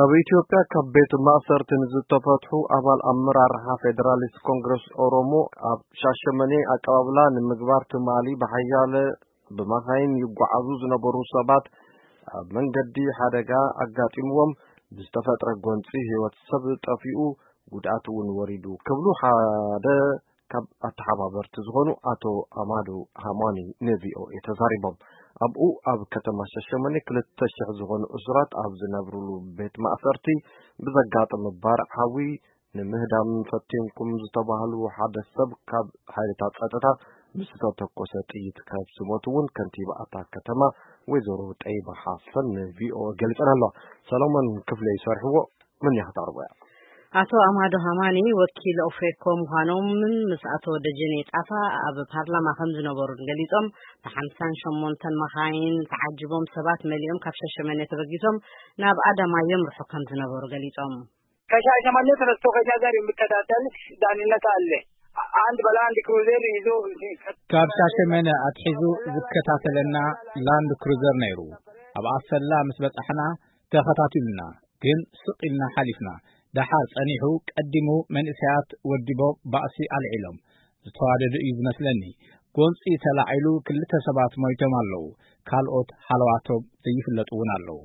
ኣብ ኢትዮጵያ ካብ ቤት ማእሰርቲ ንዝተፈትሑ ኣባል ኣመራርሓ ፌደራሊስት ኮንግረስ ኦሮሞ ኣብ ሻሸመኔ ኣቀባብላ ንምግባር ትማሊ ብሓያለ ብመኻይን ይጓዓዙ ዝነበሩ ሰባት ኣብ መንገዲ ሓደጋ ኣጋጢምዎም ብዝተፈጥረ ጎንፂ ህይወት ሰብ ጠፊኡ፣ ጉድኣት እውን ወሪዱ ክብሉ ሓደ ካብ ኣተሓባበርቲ ዝኾኑ ኣቶ ኣማዱ ሃማኒ ንቪኦኤ ተዛሪቦም። ኣብኡ ኣብ ከተማ ሻሸመኔ ክልተ ሽሕ ዝኾኑ እሱራት ኣብ ዝነብሩሉ ቤት ማእሰርቲ ብዘጋጠመ ባርዕ ሓዊ ንምህዳም ፈቲንኩም ዝተባህሉ ሓደ ሰብ ካብ ሓይልታት ጸጥታ ብዝተተኮሰ ጥይት ካብ ዝሞቱ እውን ከንቲባ ኣታ ከተማ ወይዘሮ ጠይባ ሓሰን ንቪኦኤ ገሊጸን ኣለዋ። ሰሎሞን ክፍለ ይሰርሕዎ። ምን ያህታርቦያ? ኣቶ ኣማዶ ሃማኒ ወኪል ኦፌኮ ምዃኖምን ምስ ኣቶ ደጀኔ ጣፋ ኣብ ፓርላማ ከም ዝነበሩን ገሊጾም፣ ብሓምሳን ሸሞንተን መኻይን ተዓጅቦም ሰባት መሊኦም ካብ ሻሸመኔ ተበጊሶም ናብ ኣዳማ የምርሑ ከም ዝነበሩ ገሊጾም። ከሻሸመኔ ተነስቶ ከኛ ጋር የሚከታተል ዳንነት አለ። አንድ ባለ አንድ ክሩዘር ይዞ ካብ ሻሸመነ ኣትሒዙ ዝከታተለና ላንድ ክሩዘር ነይሩ። ኣብ ኣሰላ ምስ በጻሕና ተኸታቲሉና፣ ግን ስቕ ኢልና ሓሊፍና። ደሓር ጸኒሑ ቀዲሙ መንእሰያት ወዲቦ ባእሲ ኣልዒሎም ዝተዋደዱ እዩ ዝመስለኒ። ጎንጺ ተላዒሉ ክልተ ሰባት ሞይቶም ኣለዉ። ካልኦት ሃለዋቶም ዘይፍለጡ እውን ኣለዉ።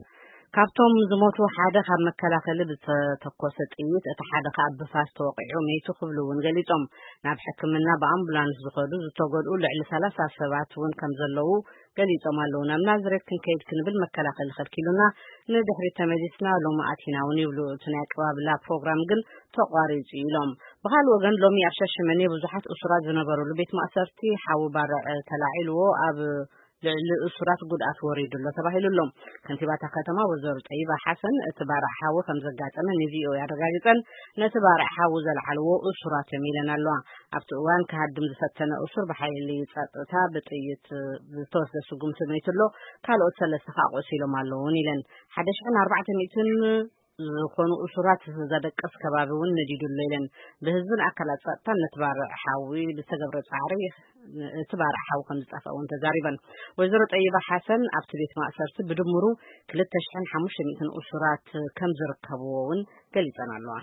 ካብቶም ዝሞቱ ሓደ ካብ መከላኸሊ ብዝተተኮሰ ጥይት፣ እቲ ሓደ ከኣ ብፋስ ተወቒዑ መይቱ ክብሉ እውን ገሊጾም። ናብ ሕክምና ብኣምቡላንስ ዝኸዱ ዝተጎድኡ ልዕሊ ሰላሳ ሰባት እውን ከም ዘለዉ ገሊጾም ኣለዉ። ናብ ናዝሬት ክንከይድ ክንብል መከላኸሊ ከልኪሉና፣ ንድሕሪት ተመሊስና ሎሚ ኣቲና እውን ይብሉ። እቲ ናይ ኣቀባብላ ፕሮግራም ግን ተቋሪጹ ኢሎም። ብኻልእ ወገን ሎሚ ኣብ ሻሸመኔ ብዙሓት እሱራት ዝነበሩሉ ቤት ማእሰርቲ ሓዊ ባርዕ ተላዒልዎ ኣብ ልዕሊ እሱራት ጉድኣት ወሪዱ ኣሎ ተባሂሉ ኣሎ። ከንቲባታ ከተማ ወይዘሮ ጠይባ ሓሰን እቲ ባርዕ ሓዊ ከም ዘጋጠመ ንቪኦኤ ኣረጋጊጸን፣ ነቲ ባርዕ ሓዊ ዘልዓልዎ እሱራት እዮም ኢለን ኣለዋ። ኣብቲ እዋን ክሃድም ዝፈተነ እሱር ብሓይሊ ጸጥታ ብጥይት ዝተወስደ ስጉምቲ መይቱ ኣሎ፣ ካልኦት ሰለስተ ከኣ ቆሲሎም ኣለውን ኢለን። ሓደ ሽሕን ኣርባዕተ ሚእትን ዝኾኑ እሱራት ዘደቅስ ከባቢ እውን ነዲዱ ኣሎ ኢለን። ብህዝብን ኣካላት ጸጥታን ነቲ ባርዕ ሓዊ ብዝተገብረ ጻዕሪ እቲ ባርዕ ሓዊ ከም ዝጠፍአ እውን ተዛሪበን። ወይዘሮ ጠይባ ሓሰን ኣብቲ ቤት ማእሰርቲ ብድምሩ ክልተ ሽሕን ሓሙሽተ ሚእትን እሱራት ከም ዝርከብዎ እውን ገሊጸን ኣለዋ።